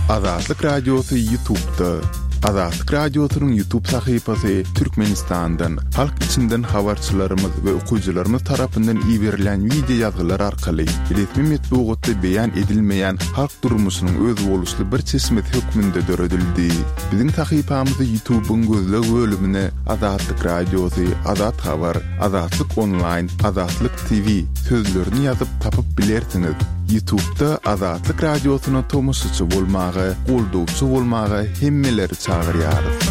Azatlyk Radiosy Ýutubda. Azatlyk Radiosynyň Ýutub sahypasy Türkmenistandan, halk içinden habarçylarymyz we okyjylarymyz tarapyndan iberilýän wideo ýazgylar arkaly resmi metbugatda beýan edilmeýän halk durmuşynyň özboluşly bir çeşmesi hökmünde döredildi. Biziň sahypamyzy Ýutubyň gözleg bölümine Azatlyk Radiosy, Azat Habar, Azatlyk Onlaýn, Azatlyk TV sözlerini ýazyp tapyp bilersiňiz. Ýutubda Azatlyk Radiosyna tomaşaçy bolmaga, goldawçy bolmaga hemmeleri çagyrýarys.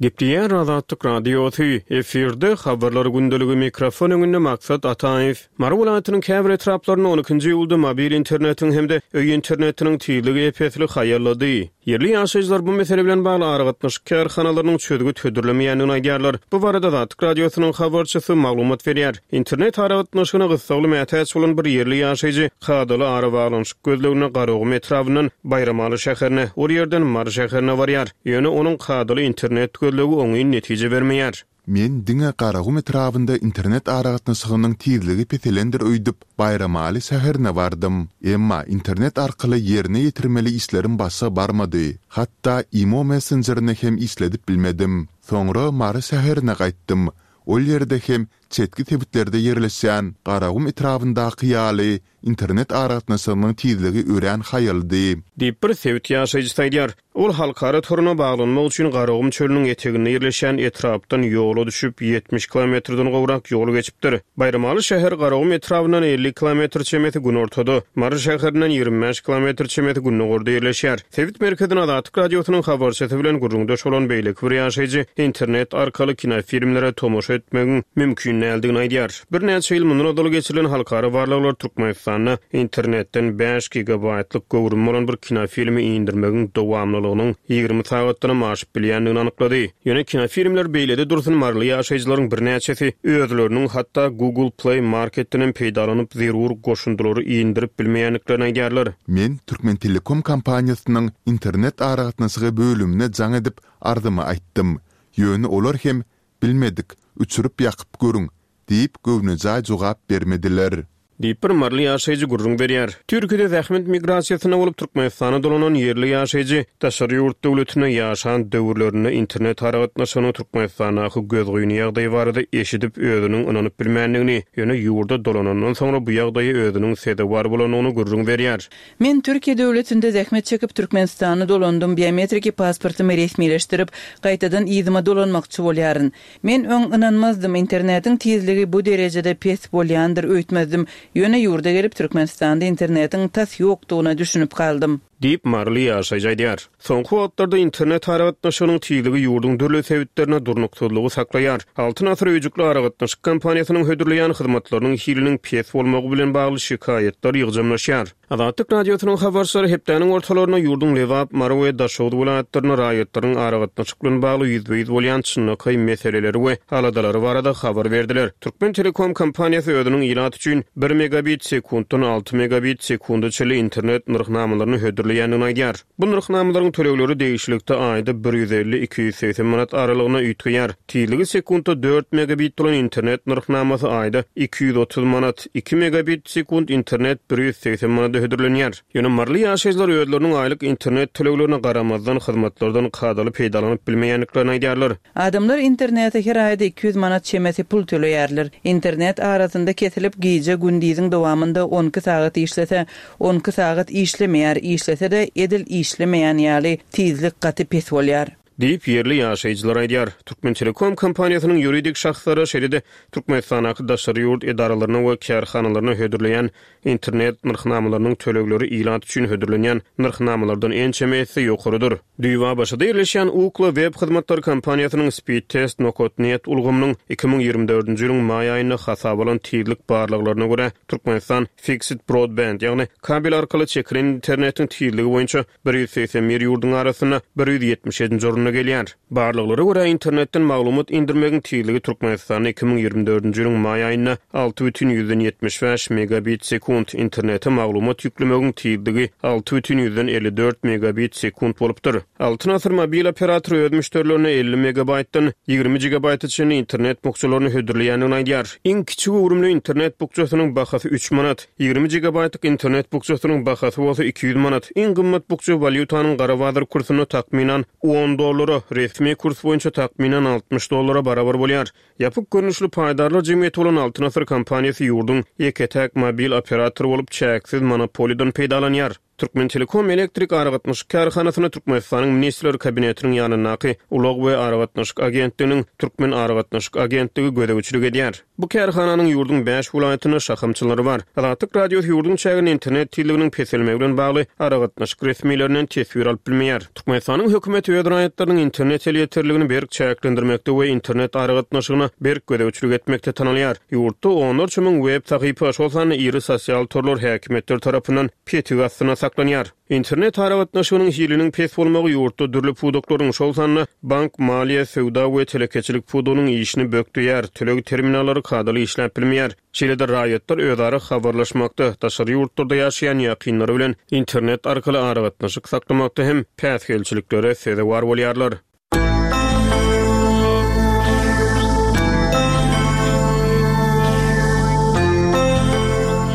Gepleýär Azatlyk Radiosy, efirde Habarlar gündeligi, mikrofon öňünde Maksat Ataýew. Mary welaýatynyň käbir etraplarynda on ikinji iýulda mobil internetiň hem-de öý internetiniň tizligi ep-esli haýallady. Ýerli ýaşaýjylar bu mesele bilen bagly aragatnaşyk kärhanalarynyň çözgüt hödürlemeýändigini aýdýarlar. Bu barada Azatlyk Radiosynyň habarçysy maglumat berýär. Internet aragatnaşygyna gyssagly mätäç bolan bir ýerli ýaşaýjy kadaly arabaglanyşyk gözleginde Garagum etrabyndan Baýramaly şäherine, ol ýerden Mary şäherine barýar. Ýöne onuň kadaly internet gözlegi oňyn netije bermeýär. Men diňe Garagum etrabynda internet aragatnaşygynyň tizligi peselendir öýdüp, Baýramaly şäherine bardym. Emma internet arkaly ýerine ýetirmeli işlerim başa barmady. Hatda imo messenjerini hem işledip bilmedim. Soňra Mary şäherine gaýtdym. Ol ýerde hem çetki sebitlerde ýerleşýän Garagum etrabyndaky ýaly internet aragatnaşygynyň tizligi örän haýaldy. Diýip, bir sebit ýaşaýjysy aýdýar. Ol halkara toruna baglanmak üçin Garagum çölüniň eteginde ýerleşýän etrapdan ýola düşüp, 70 kilometrden gowrak ýol geçipdir. Baýramaly şäheri Garagum etrabyndan 50 kilometr çemesi günortada, Mary şäherinden 25 kilometr çemesi gündogarda ýerleşýär. Sebit merkezinde Azatlyk Radiosynyň habarçysy bilen gürrüňdeş bolan beýleki bir ýaşaýjy internet arkaly kinofilmlere tomaşa etmegiň mümkin däldigini aýdýar. Birnäçe ýyl mundan ozal geçirilen halkara barlaglar Türkmenistanda internetden bäş gigabaýtlyk göwrümi bolan bir kinofilmi indirmegiň dowamlylygynyň 20 sagatdanam aşyp bilýändigini anyklady. Ýöne kinofilmler beýlede dursun maryly ýaşaýjylaryň birnäçesi özleriniň hatda Google Play Marketdenem peýdalanyp zerur goşundylary indirip bilmeýändiklerini aýdýarlar. Men Türkmentelekom kompaniýasynyň internet aragatnaşygy bölümine jaň edip arzymy aýtdym. Ýöne olar hem Bilmedik, öçürip-ýakyp görüň diýip göwnejaý jogap bermediler. Diýip, bir maryly ýaşaýjy gürrüň berýär. Türkiýede zähmet migrasiýasynda bolup, Türkmenistana dolanan ýerli ýaşaýjy daşary ýurt döwletinde ýaşan döwürlerinde internet aragatnaşygynyň Türkmenistandaky gözgyny ýagdaýy barada eşidip, özüniň ynanyp bilmändigini, ýöne ýurda dolanandan soňra bu ýagdaýa özüniň sezewar bolandygyny gürrüň berýär. Men Türkiýe döwletinde zähmet çekip Türkmenistana dolandym, biometriki pasportymy resmileşdirip, gaýtadan yzyma dolanmakçy bolýaryn. Men öň ynanmazdym, internetiň tizligi bu derejede pes bolýandyr öýtmezdim. Ýöne ýurda gelip Türkmenistanda internetiň tas ýokdugyna düşünip galdym. Diýip, maryly ýaşaýjy aýdýar. Soňky wagtlarda internet aragatnaşygynyň tizligi ýurduň dürli sebitlerinde durnuksyzlygy saklaýar. Altyn asyr öýjükli aragatnaşyk kompaniýasynyň hödürleýän hyzmatlarynyň hiliniň pes bolmagy bilen bagly şikaýatlar ýygjamlaşýar. Azatlyk Radiosynyň habarçylary hepdäniň ortalarynda ýurduň Lebap, Mary we Daşoguz welaýatlarynda raýatlaryň aragatnaşyk bilen bagly ýüzbe-ýüz bolýan çynlakaý meseleleri we aladalary barada habar berdiler. Türkmentelekom kompaniýasy özüniň ilat üçin bir megabit sekuntdan alty megabit sekunda çenli internet nyrhnamalaryny hödürleýändigini aýdýar. Bu nyrhnamalaryň tölegleri degişlilikde aýda 150, 280 manat aralygynda üýtgeýär. Tizligi sekuntda dört megabit bolan internet nyrhnamasy aýda 230 manat, iki megabit sekunt internet 180 manada hödürlenýär. Ýöne maryly ýaşaýjylar özleriniň aýlyk internet töleglerine garamazdan, hyzmatlardan kadaly peýdalanyp bilmeýändiklerini aýdýarlar. Adamlar internete her aýda 200 manat çemesi pul töleýärler. Internet arasynda kesilip, gije gündiziň dowamynda on iki sagat işlese, on iki sagat işlemeýär, işlese-de edil işlemeýän ýaly, tizlik gaty pes bolýar. Diýip, ýerli ýaşaýjylar aýdýar. Türkmentelekom kompaniýasynyň ýuridik şahslara, şeýle-de Türkmenistandaky daşary ýurt edaralaryna we kärhanalaryna hödürleýän internet nyrhnamalarynyň tölegleri ilat üçin hödürlenýän nyrhnamalardan ençeme esse ýokarydyr. Düýbi ABŞ-da ýerleşýän Ookla web hyzmatlary kompaniýasynyň Speedtest nokat net ulgamynyň 2024-nji ýylyň maý aýynda hasaba alan tizlik barlaglaryna görä, Türkmenistan Fixed Broadband, ýagny kabel arkaly çekilen internetiň tizligi boýunça 181 ýurduň arasynda 177-nji orunda. öňe gelýär. Barlaglara görä, internetden maglumat indirmegiň tizligi Türkmenistanda 2024-nji ýylyň maý aýynda 6,75 megabit sekunt, internete maglumat ýüklemegiň tizligi 6,54 megabit sekunt bolupdyr. Altyn Asyr mobil operatory öz müşderilerine 50 megabaýtdan 20 gigabaýta çenli internet bukjalaryny hödürleýändigini aýdýar. Iň kiçi göwrümli internet bukjasynyň bahasy üç manat, 20 gigabaýtlyk internet bukjasynyň bahasy bolsa 200 manat. Iň gymmat bukja walýutanyň gara bazar kursunda takmynan on dollara, resmi kurs boýunça takmynan 60 dollara barabar bolýar. Ýapyk görnüşli paýdarlar jemgyýeti bolan Altyn Asyr kompaniýasy ýurduň ýeke-täk mobil operatory bolup, çäksiz monopoliýadan peýdalanýar. Türkmentelekom elektrik aragatnaşyk kärhanasyna Türkmenistanyň Ministrler Kabinetiniň ýanyndaky Ulag we aragatnaşyk agentliginiň Türkmenaragatnaşyk agentligi gözegçilik edýär. Bu kärhananyň ýurduň bäş welaýatynda şahamçalary bar. Azatlyk Radiosy ýurduň çäginde internet tizliginiň peselmegi bilen bagly aragatnaşyk resmilerinden teswir alyp bilmeýär. Türkmenistanyň hökümeti öz raýatlarynyň internet elýeterligini berk çäklendirmekde we internet aragatnaşygyna berk gözegçilik etmekde tanalýar. Ýurtda onlarça müň web sahypa, şol sanda iri sosial torlar häkimiýetler tarapyndan petik astynda saklanýar. Internet aragatnaşygynyň hiliniň pes bolmagy ýurtda dürli pudaklaryň, şol sanda bank, maliýe, söwda we telekeçilik pudagynyň işini bökdeýär, töleg terminallary kadaly işläp bilmeýär. Şeýle-de raýatlar özara habarlaşmakda, daşary ýurtlarda ýaşaýan ýakynlary bilen internet arkaly aragatnaşyk saklamakda hem päsgelçiliklere sezewar bolýarlar.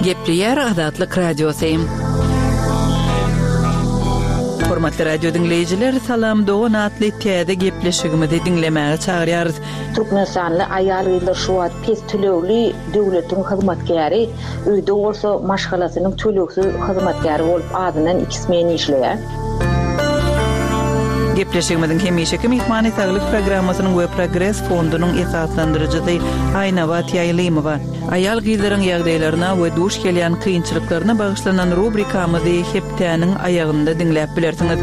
Gepleýär Azatlyk Radiosy. Hormatly radio diňleýjiler, Salam dogan atly täze gepleşigimizi diňlemäge çagyrýarys. Türkmenistanly aýal-gyzlar şu wagt pes tölegli döwletiň hyzmatkäri, öýde bolsa maşgalasynyň tölegsiz hyzmatkäri bolup azyndan iki smen işleýär. Gepleşigimiziň hemişeki myhmany Saglyk programmasynyň we Progres fondunyň esaslandyryjysy Aýnabat Ýaýlymowa. Aýal-gyzlaryň ýagdaýlaryna we duş gelýän kynçylyklaryna bagyşlanan rubrikamyzy hepdäniň aýagynda diňläp bilersiňiz.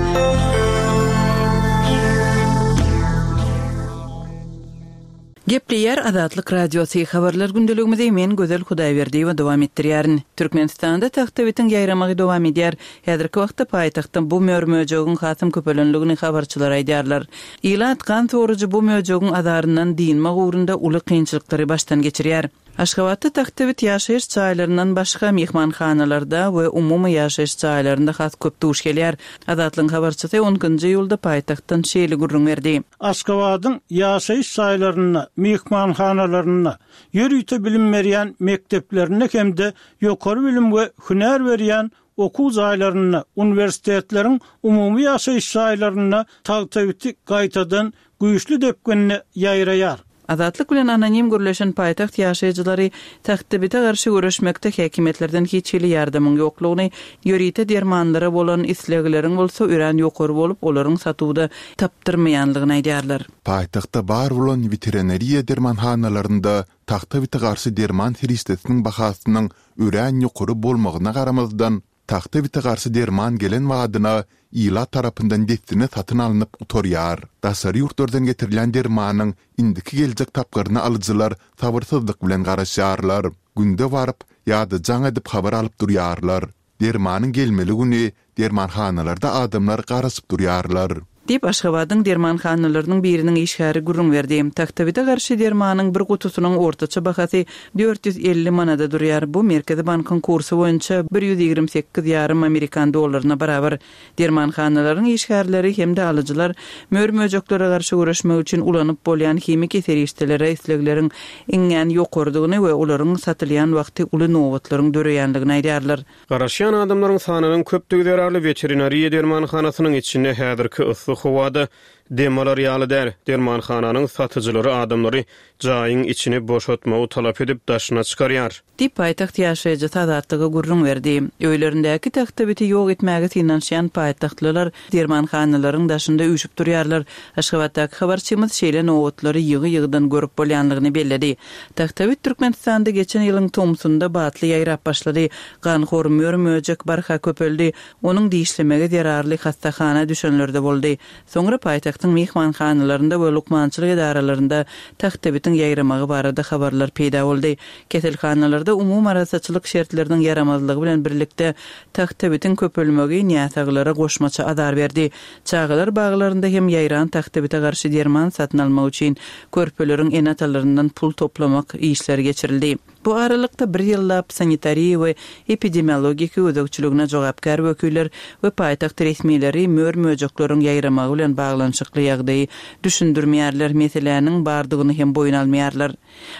Gepleýär Azatlyk Radiosy, Habarlar gündeligimizi men Gözel Hudaýberdiýewa dowam etdirýärin. Türkmenistanda tagtabitiň ýaýramagy dowam edýär. Häzirki wagtda paýtagtda bu mör-möjegiň hasam köpelenligini habarçylar aýdýarlar. Ilat gan sorujy bu möjegiň azaryndan dynmak ugrunda uly kynçylyklary başdan geçirýär. Aşgabatda tagtabit ýaşaýyş jaýlaryndan başga myhmanhanalarda we umumy ýaşaýyş jaýlarynda has köp duş gelýär. Azatlygyň habarçysy on ikinji iýulda paýtagtdan şeýle gürrüň berdi. Aşgabadyň ýaşaýyş jaýlarynda, myhmanhanalarynda, ýörite bilim berýän mekdeplerinde hem-de ýokary bilim we hünär berýän okuw jaýlarynda, uniwersitetleriň umumy ýaşaýyş jaýlarynda tagtabiti gaýtadan güýçli depginde ýaýraýar. Azatlyk bilen anonim gürleşen paýtagt ýaşaýjylary tagtabite garşy göreşmekde häkimiýetlerden hiç hili ýardamyň ýoklugyny, ýörite dermanlara bolan islegleriň bolsa örän ýokary bolup, olaryň satuwda tapdyrmaýanlygyny aýdýarlar. Paýtagtda bar bolan weterinariýa dermanhanalarynda tagtabite garşy derman serişdesiniň bahasynyň örän ýokary bolmagyna garamazdan, tagtabite garşy derman gelen badyna ilat tarapyndan dessine satyn alnyp gutarýar. Daşary ýurtlardan getirilýän dermanyň indiki geljek tapgyryna alyjylar sabyrsyzlyk bilen garaşýarlar. Günde baryp ýa-da jaň edip habar alyp durýarlar. Dermanyň gelmeli güni dermanhanalarda adamlar garaşyp durýarlar. Diýip, Aşgabadyň dermanhanalarynyň biriniň işgäri gürrüň berdi. Tagtabite garşy dermanyň bir gutusynyň ortaça bahasy 450 manada durýar, bu Merkezi bankyň kursy boýunça 128 ýarym amerikan dollaryna barabar. Dermanhanalaryň işgärleri hem-de alyjylar mör-möjeklere garşy göreşmek üçin ulanyp bolýan himiki serişdelere islegleriň iňňän ýokarydygyny we olaryň satylýan wagty uly nobatlaryň döreýändigini aýdýarlar. Garaşýan adamlaryň sanynyň köpdügi zerarly weterinariýa dermanhanasynyň içinde häzirki yssy howada dem alar ýaly däl. Dermanhananyň satyjylary adamlary jaýyň içini boşatmagy talap edip daşyna çykarýar. Diýip, paýtagt ýaşaýjysy Azatlyga gürrüň berdi. Öýlerindäki tagtabiti ýok etmäge synanyşýan paýtagtlylar dermanhanalaryň daşynda üýşüp durýarlar. Aşgabatdaky habarçymyz şeýle nobatlary ýygy-ýygydan görüp bolýanlygyny belledi. Tagtabit Türkmenistanda geçen ýylyň tomsunda batly ýaýrap başlady. Ganhor mör-möjek barha köpeldi. Onuň dişlemegi zerarly hassahana düşenler-de boldy. Soňra paýtagtda. paýtagtyň myhmanhanalarynda we lukmançylyk edaralarynda tagtabitiň ýaýramagy barada habarlar peýda boldy. Keselhanalarda umumy arassaçylyk şertleriniň ýaramazlygy bilen birlikde tagtabitiň köpelmegi näsaglara goşmaça azar berdi. Çagalar baglarynda hem ýaýran tagtabite garşy derman satyn almak üçin körpeleriň ene-atalaryndan pul toplamak işleri geçirildi. Bu aralykda bir ýyllap sanitariýa we epidemiologiki gözegçiligine jogapkär wekiller we paýtagt resmileri mör-möjekleriň ýaýramagy bilen baglanyşykly ýagdaýy düşündirmeýärler, meseläniň bardygyny hem boýun almaýarlar.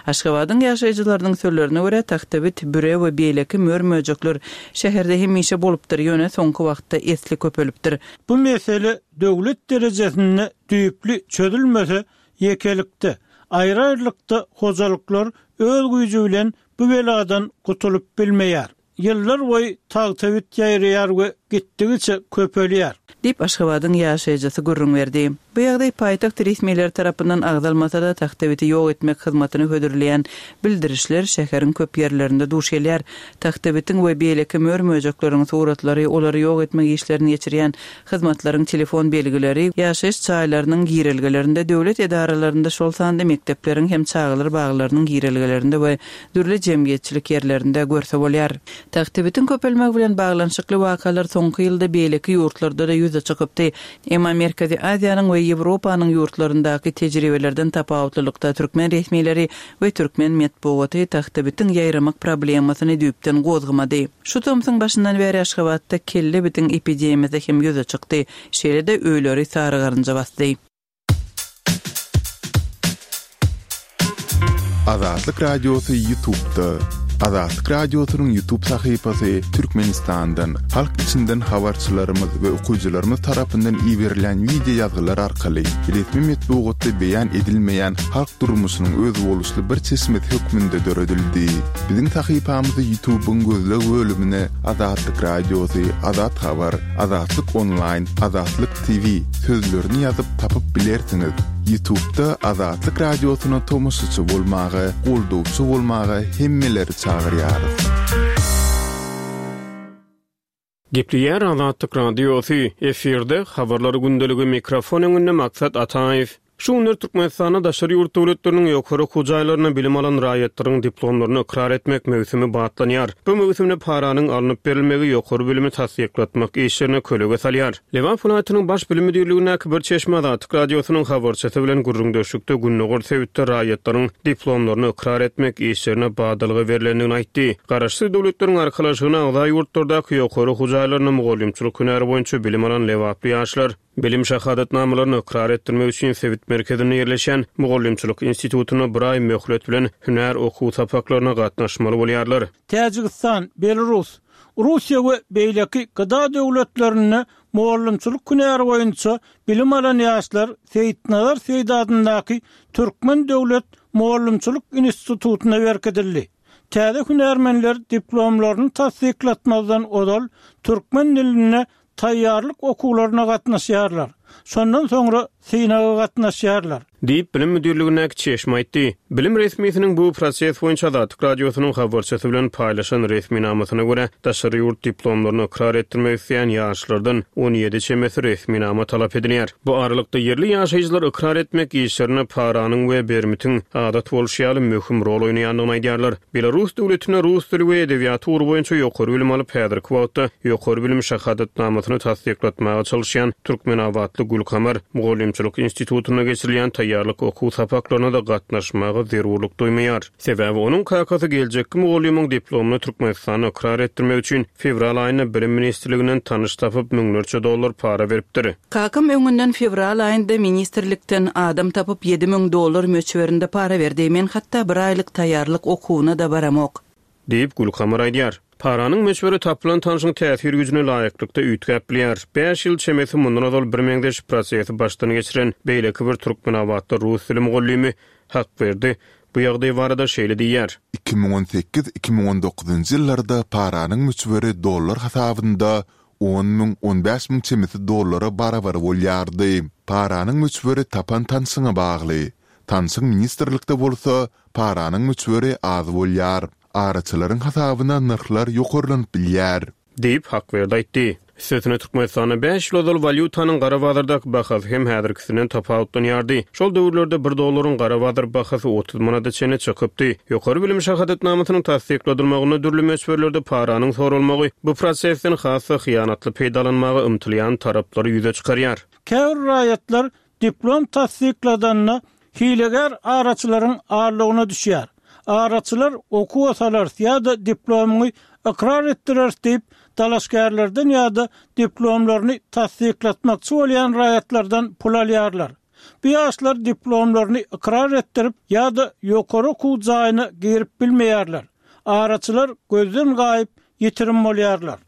Aşgabadyň ýaşaýjylarynyň sözlerine görä, tagtabit, büre we beýleki mör-möjekler şäherde hemişe bolupdyr, ýöne soňky wagtda esli köpelipdir. Bu mesele döwlet derejesinde düýpli çözülmese, ýekelikde, aýry-aýrylykda hojalyklar öz güýji bilen bu beladan gutulyp bilmeýär. Ýyllar boýy tagtabit ýaýraýar we gitdigiçe köpelýär. Diýip, Aşgabadyň ýaşaýjysy gürrüň berdi. Bu ýagdaý paýtagt resmileri tarapyndan agzalmasa-da, tagtabiti ýok etmek hyzmatyny hödürleýän bildirişler şäheriň köp ýerlerinde duş gelýär. Tagtabitiň we beýleki mör-möjekleriň suratlary, olary ýok etmek işlerini geçirýän hyzmatlaryň telefon belgileri, ýaşaýyş jaýlarynyň girelgelerinde, döwlet edaralarynda, şol sanda mekdepleriň hem çagalar baglarynyň girelgelerinde we dürli jemgyýetçilik ýerlerinde görse bolýar. Tagtabitiň köpelmegi bilen baglanyşykly wakalar soňky ýylda beýleki ýurtlarda-da ýüze çykypdy. Emma Merkezi Aziýanyň we Ýewropanyň ýurtlaryndaky tejribelerden tapawutlylykda türkmen resmileri we türkmen metbugaty tagtabitiň ýaýramak problemasyny düýpden gozgamady. Şu tomsuň başyndan bäri Aşgabatda kelle bitiň epidemiýasy hem ýüze çykdy. Şeýle-de öýleri sary garynja basdy. Azatlyk Radiosy Ýutubda. Azatlyk Radiosynyň Ýutub sahypasy Türkmenistandan, halk içinden habarçylarymyz we okyjylarymyz tarapyndan iberilýän wideo ýazgylar arkaly resmi metbugatda beýan edilmeýän halk durmuşynyň özboluşly bir çeşmesi hökmünde döredildi. Biziň sahypamyzy Ýutubyň gözleg bölümine Azatlyk Radiosy, Azat Habar, Azatlyk Onlaýn, Azatlyk TV sözlerini ýazyp tapyp bilersiňiz. Ýutubda Azatlyk Radiosyna tomaşaçy bolmaga, goldawçy bolmaga hemmeleri çagyrýarys. Gepleýär Azatlyk Radiosy, efirde, Habarlar gündeligi, mikrofon öňünde Maksat Ataýew. Şu günler Türkmenistanda daşary ýurt döwletleriniň ýokary okuw jaýlarynda bilim alan raýatlaryň diplomlaryny ykrar etmek möwsümi batlanýar. Bu möwsümde paranyň alnyp berilmegi ýokary bilimi tassyklatmak işlerine kölege salýar. Lebap welaýatynyň Baş bilim müdirligindäki bir çeşme Azatlyk Radiosynyň habarçysy bilen gürrüňdeşlikde gündogar sebitde raýatlaryň diplomlaryny ykrar etmek işlerine badalga berlendigini aýtdy. Garaşsyz Döwletleriň Arkalaşygyna agza ýurtlardaky ýokary okuw jaýlarynda mugallymçylyk hünäri boýunça bilim alan lebaply ýaşlar bilim şahadatnamalaryny ykrar etdirmek üçin sebit merkezinde ýerleşýän Mugallymçylyk institutynda bir aý möhlet bilen hünär okuw sapaklaryna gatnaşmaly bolýarlar. Täjigistan, Belarus, Russiýa we beýleki GDA döwletlerinde mugallymçylyk hünäri boýunça bilim alan ýaşlar Seýitnazar Seýdi adyndaky Türkmen döwlet mugallymçylyk institutyna berkidildi. Täze hünärmenler diplomlaryny tassyklatmazdan ozal türkmen dilinde taýýarlyk okuwlaryna gatnaşýarlar. Şondan soňra synaga gatnaşýarlar. Diýip, bilim müdirligindäki çeşme aýtdy. Bilim resmisiniň bu proses boýunça Azatlyk Radiosynyň habarçysy bilen paýlaşan resminamasyna görä, daşary ýurt diplomlaryny ykrar etdirmek isleýän ýaşlardan 17 çemesi resminama talap edilýär. Bu aralykda, ýerli ýaşaýjylar ykrar etmek işlerinde paranyň we bermitiň, adat bolşy ýaly, möhüm rol oýnaýandygyny aýdýarlar. Belarus döwletinde rus dili we edebiýaty ugry boýunça ýokary bilim alyp, häzirki wagtda ýokary bilim şahadatnamasyny tassyklatmaga çalyşýan türkmenabatly Gülkamar mugallymçylyk institutynda geçirilýän taýýarlyk okuw sapaklaryna-da gatnaşmaga zerurlyk duýmaýar. Sebäbi onuň kakasy geljekki mugallymyň diplomyny Türkmenistanda ykrar etdirmek üçin fewral aýynda Bilim ministrliginden tanyş tapyp, müňlerçe dollar para beripdir. Kakam öňünden fewral aýynda ministrlikden adam tapyp 7000 dollar möçberinde para berdi. Men hatda bir aýlyk taýýarlyk okuwyna-da baramok. Diýip, Gülkamar aýdýar. Paranyň möçberi tapylan tanşyň täsir güýjüne laýyklykda üýtgäp bilýär. Bäş ýyl çemesi mundan ozal birmeňzeş prosesi başdan geçiren beýleki bir türkmenabatly rus dili mugallymy Hakberdi bu ýagdaý barada şeýle diýýär. 2018, 2019-njy ýyllarda paranyň möçberi dollar hasabynda on müň, on bäş müň çemesi dollara barabar bolýardy. Paranyň möçberi tapan tanşyňa bagly. Tanşyň ministrlikde bolsa, paranyň möçberi az bolýar. Araçylaryň hasabyna nyrhlar ýokarlanyp bilýär. Diýip, Hakberdi aýtdy. Üstesine Türkmenistanda bäş ýyl ozal walýutanyň gara bazardaky bahasy hem häzirkisinden tapawutlanýardy. Şol döwürlerde bir dollaryň gara bazar bahasy 30 manada çenli çykypdy. Ýokary bilim şahadatnamasynyň tassykladylmagynda dürli möçberlerde paranyň soralmagy bu prosesden has-da hyýanatly peýdalanmaga ymtylýan taraplary ýüze çykarýar. Käbir raýatlar diplom tassykladanda hilegär araçylaryň aldawyna düşýär. Araçylar okuwa salarys ýa-da diplomyňy ykrar etdireris diýip, dalaşgärlerden ýa-da diplomlaryny tassyklatmakçy bolýan raýatlardan pul alýarlar. Bu ýaşlar diplomlaryny ykrar etdirip ýa-da ýokary okuw jaýyna girip bilmeýärler. Araçylar gözden gaýyp, ýitirim bolýarlar.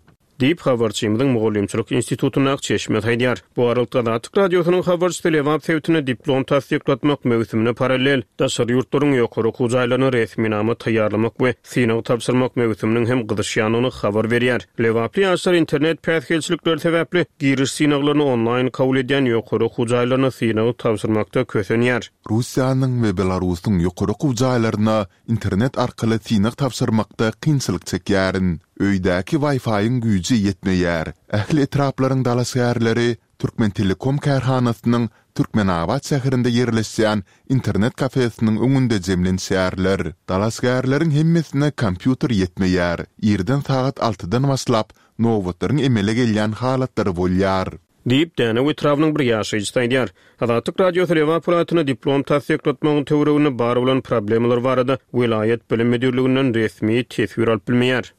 Diýip, habarçymyzyň Mugallymçylyk institutyndaky çeşmesi aýdýar. Bu aralykda, Azatlyk Radiosynyň habarçysy Lebap sebitinde diplom tassyklatmak möwsümine parallel, daşary ýurtlaryň ýokary okuw jaýlaryna resminama taýýarlamak we synag tabşyrmak möwsüminiň hem gyzyşýandygyny habar berýär. Lebaply ýaşlar internet päsgelçilikleri sebäpli, giriş synaglaryny onlaýn kabul edýän ýokary okuw jaýlaryna synag tabşyrmakda kösenýär. Russiýanyň we Belarusyň ýokary okuw jaýlaryna Internet arkaly synag tabşyrmakda kynçylyk çekýärin. Öýdäki Wi-Fi-iň güýji ýetmeýär. Ähli etraplaryň dalaşgärleri Türkmentelekom kärhanasynyň Türkmenabat şäherinde ýerleşýän internet kafesiniň öňünde jemlenişýärler. Dalaşgärleriň hemmesine kompýuter ýetmeýär. Irden sagat altydan başlap nobatlaryň emele gelýän halatlary bolýar. Diýip, Dänew etrabynyň bir ýaşaýjysy aýdýar. Azatlyk Radiosy Lebap welaýatynda diplom tassyklatmagyň töwereginde bar bolan problemalar barada welaýat bilim müdirliginden resmi teswir alyp bilmeýär.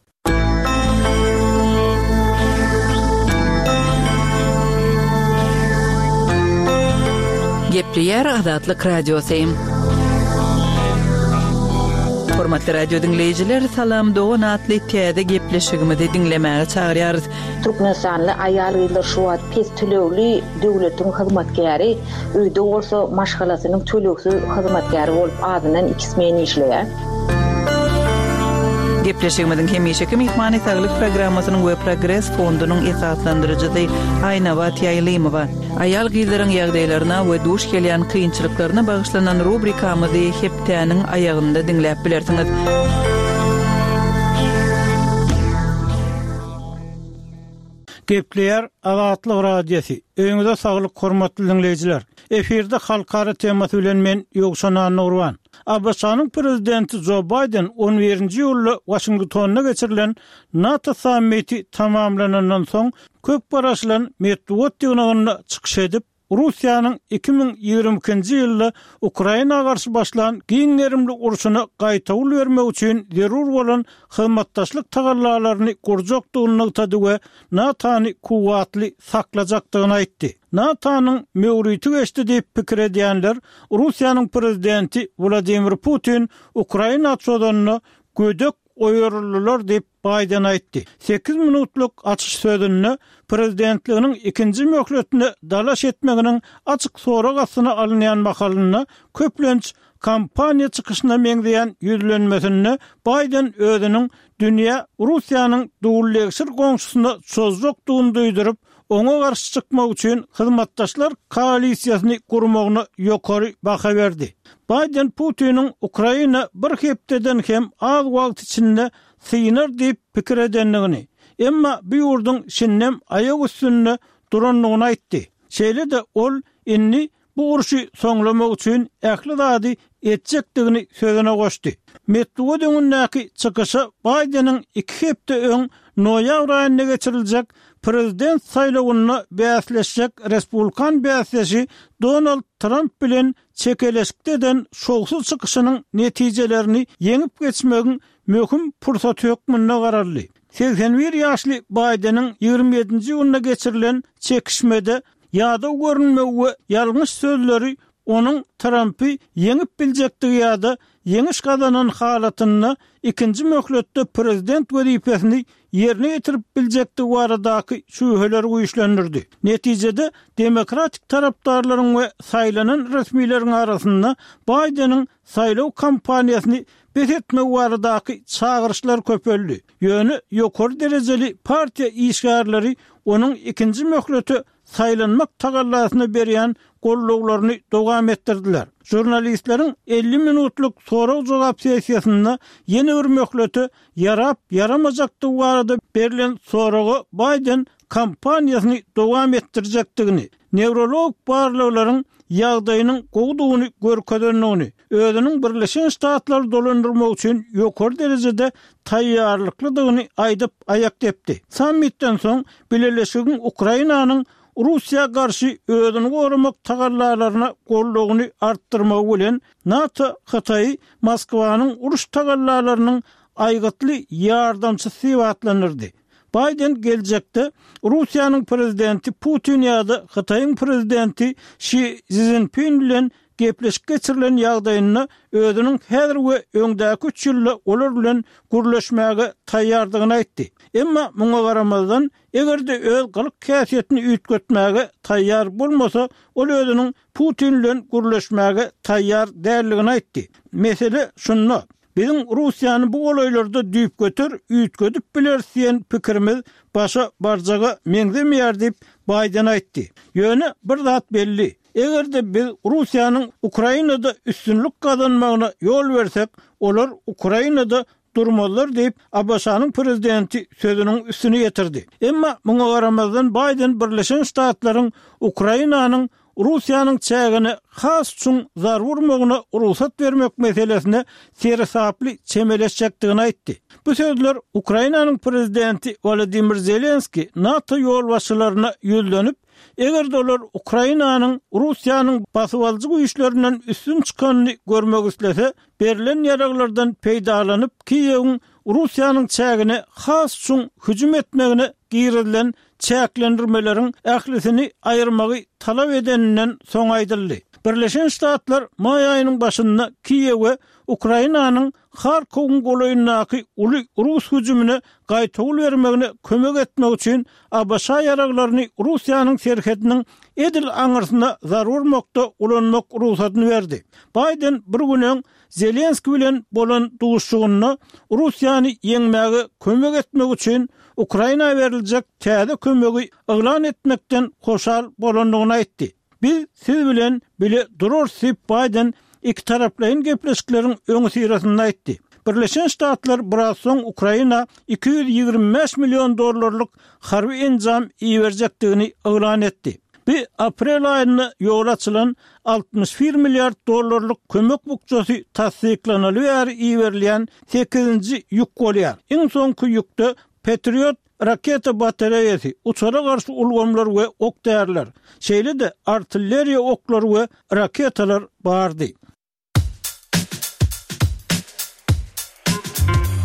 Gepleýär Azatlyk Radiosy. Hormatly radio diňleýjiler, Salam dogan atly täze gepleşigimizi diňlemäge çagyrýarys. Türkmenistanly aýal-gyzlar şu wagt pes tölegli döwletiň hyzmatkäri, öýde bolsa maşgalasynyň tölegsiz hyzmatkäri bolup azyndan iki smen işleýär. Gepleşigimiziň hemişeki myhmany Saglyk programmasynyň we Progres fondunyň esaslandyryjysy Aýnabat Ýaýlymowa. Aýal-gyzlaryň ýagdaýlaryna we duş gelýän kynçylyklaryna bagyşlanan rubrikamyzy hepdäniň aýagynda diňläp bilersiňiz. Gepleýär Azatlyk Radiosy. Öýüňize saglyk hormatly diňleýjiler. Efirde halkara temasy bilen men Ýowşan Annagurban. ABŞ-nyň prezidenti Jo Baýden on birinji iýulda Waşingtonda geçirilen NATO sammiti tamamlanandan soň köp garaşylan metbugat ýygnagynda çykyş edip, Russiýanyň 2022-nji ýylda Ukraina garşy başlan giň gerimli urşuna gaýtawul bermek üçin zerur bolan hyzmatdaşlyk tagallalaryny gurjakdygyny nygtady we NATO-ny kuwwatly saklajakdygyny aýtdy. NATO-nyň möwriti geçdi diýip pikir edýänler Russiýanyň prezidenti Wladimir Putin Ukraina çozanda gödek oýaryldylar diýip, Baýden aýtdy. Sekiz minutlyk açyş sözünde prezidentliginiň ikinji möhletine dalaş etmeginiň açyk sorag astyna alynýan mahalynda, köplenç kampaniýa çykyşyna meňzeýän ýüzlenmesinde Baýden özüniň dünýä Russiýanyň dullegşir goňşusyna çozjakdygyny duýduryp, oňa garşy çykmak üçin hyzmatdaşlar koalisiýasyny gurmagyna ýokary baha berdi. Baýden Putiniň Ukraina bir hepdeden hem az wagt içinde synar diýip pikir edendigini, emma bu ýurduň şindem aýak üstünde durandygyny aýtdy. Şeýle-de ol indi bu urşy soňlamak üçin ähli zady etjekdigini sözüne goşdy. Metbugat öňündäki çykyşa Baýdeniň iki hepde öň noýabr aýynda geçiriljek prezident saýlawynda bäsleşjek respublikan bäsdeşi Donald Tramp bilen çekeleşikde eden şowsuz çykyşynyň netijelerini ýeňip geçmegiň möhüm pursaty hökmünde garaldy. 81 ýaşly Baýdeniň 27-nji iýunda geçirilen çekişmede ýadaw görünmegi we ýalňyş sözleri onuň Trampy ýeňip biljekdigi ýa-da ýeňiş gazanan halatynda ikinji möhletde prezident wezipesini ýerine ýetirip biljekdigi baradaky şübheleri güýçlendirdi. Netijede, demokratik tarapdarlaryň we saýlanan resmileriň arasynda Baýdeniň saýlaw kampaniýasyny bes etmegi baradaky çagyryşlar köpeldi. Ýöne ýokary derejeli partiýa işgärleri onuň ikinji möhlete. saýlanmak tagallasyna berýän gollawlaryny dowam etdirdiler. Žurnalistleriň 50 minutlyk sorag-jogap sessiýasynda ýene bir möhlete ýarap-ýaramajakdygy barada berlen soraga Baýden kampaniýasyny dowam etdirjekdigini, newrologik barlaglaryň ýagdaýynyň gowudygyny görkezendigini, özüniň Birleşen Ştatlary dolandyrmak üçin ýokary derejede taýýarlyklydygyny aýdyp aýak depdi. Sammitden soň Bileleşigiň Ukrainanyň Russiýa garşy özüni goramak tagallalaryna goldawyny artdyrmagy bilen NATO Hytaýy Moskwanyň uruş tagallalarynyň aýgytly ýardamçysy diýip atlandyrdy. Baýden geljekde Russiýanyň prezidenti Putin ýa-da Hytaýyň prezidenti Şi Szinpin bilen gepleşik geçirilen ýagdaýynda özüniň häzir we öňdäki üç ýylda olar bilen gürleşmäge taýýardygyny aýtdy. Emma muňa garamazdan, eger-de öz gylyk-häsiýetini üýtgetmäge taýýar bolmasa, ol özüniň Putin bilen gürleşmäge taýýar däldigini aýtdy. Mesele şunda, biziň Russiýany bu golaýlarda düýpgöter üýtgedip bileris diýen pikirimiz başa barjaga meňzemeýär diýip, Baýden aýtdy. Ýöne bir zat belli, eger-de biz Russiýanyň Ukrainada üstünlik gazanmagyna ýol bersek, olar Ukrainada durmazlar diýip, ABŞ-nyň prezidenti sözüniň üstüni ýetirdi. Emma muňa garamazdan Baýden Birleşen Ştatlaryň Ukrainanyň Russiýanyň çägine has çuň zarba urmagyna rugsat bermek meselesine seresaply çemeleşjekdigini aýtdy. Bu sözler Ukrainanyň prezidenti Wolodymyr Zelenskiý NATO ýolbaşçylaryna ýüzlenip, eger-de olar Ukrainanyň Russiýanyň basybalyjy güýçlerinden üstün çykanyny görmek islese, berlen ýaraglardan peýdalanyp, Kiýewiň Russiýanyň çägine has çuň hüjüm etmegine girizilen çäklendirmeleriň ählisini aýyrmagy talap edeninden soň aýdyldy. Birleşen Ştatlar maý aýynyň başynda Kiýewe Ukrainanyň Harkowyň golaýyndaky uly rus hüjümine gaýtawul bermegine kömek etmek üçin ABŞ ýaraglaryny Russiýanyň serhediniň edil aňyrsyna zarba urmakda ulanmak rugsadyny berdi. Baýden bir gün öň Zelenskiý bilen bolan duşuşygynda Russiýany ýeňmäge kömek etmek üçin Ukraina beriljek täze kömegi yglan etmekden hoşal bolandygyny aýtdy. Biz siz bilen bile durarys diýip, Baýden ikitaraplaýyn gepleşikleriň öňüsyrasynda aýtdy. Birleşen Ştatlar biraz soň Ukraina 225 million dollarlyk harby enjam iberjekdigini yglan etdi. Bu aprel aýynda ýoly açylan 61 milliard dollarlyk kömek bukjasy tassyklanaly bäri iberilýän sekizinji ýük bolýar. Iň soňky ýükde Patriot raketa batareýasy, uçara garşy ulgamlar we ok-däriler, şeýle-de artilleriýa oklary we raketalar bardy.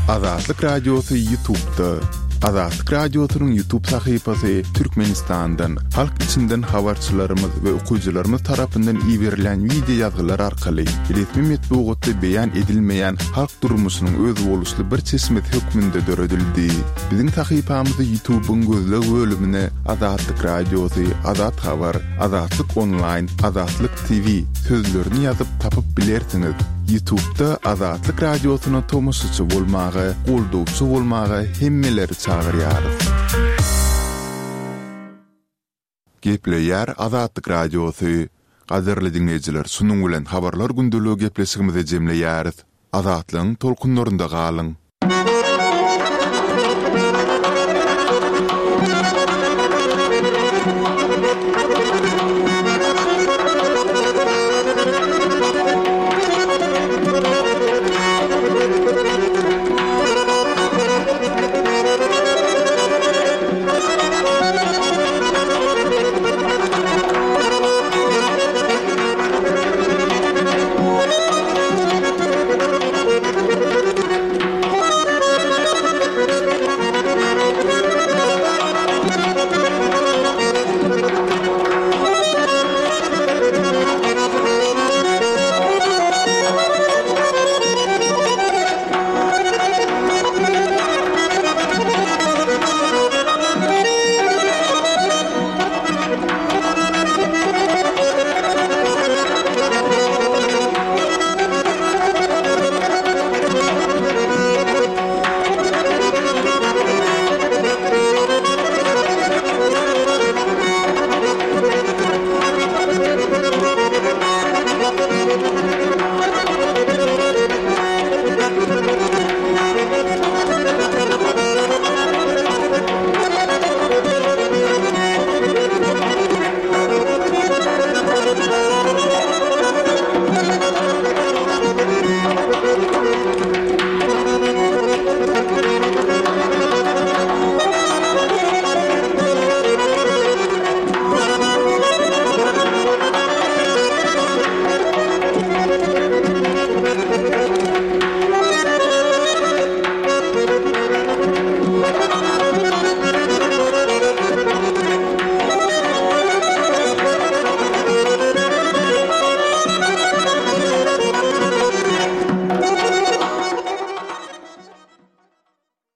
Azatlyk Radiosy Ýutubda. Azatlyk Radiosynyň Ýutub sahypasy Türkmenistandan, halk içinden habarçylarymyz we okyjylarymyz tarapyndan iberilýän wideo ýazgylar arkaly resmi metbugatda beýan edilmeýän halk durmuşynyň özboluşly bir çeşmesi hökmünde döredildi. Biziň sahypamyzy Ýutubyň gözleg bölümine Azatlyk Radiosy, Azat Habar, Azatlyk Onlaýn, Azatlyk TV sözlerini ýazyp tapyp bilersiňiz. Ýutubda Azatlyk Radiosyna tomaşaçy bolmaga, goldawçy bolmaga hemmeleri çagyrýarys. Gepleýär Azatlyk Radiosy. Gadyrly diňleýjiler şunuň bilen Habarlar gündeligi gepleşigimizi jemleýäris. Azatlygyň tolkunlarynda galyň!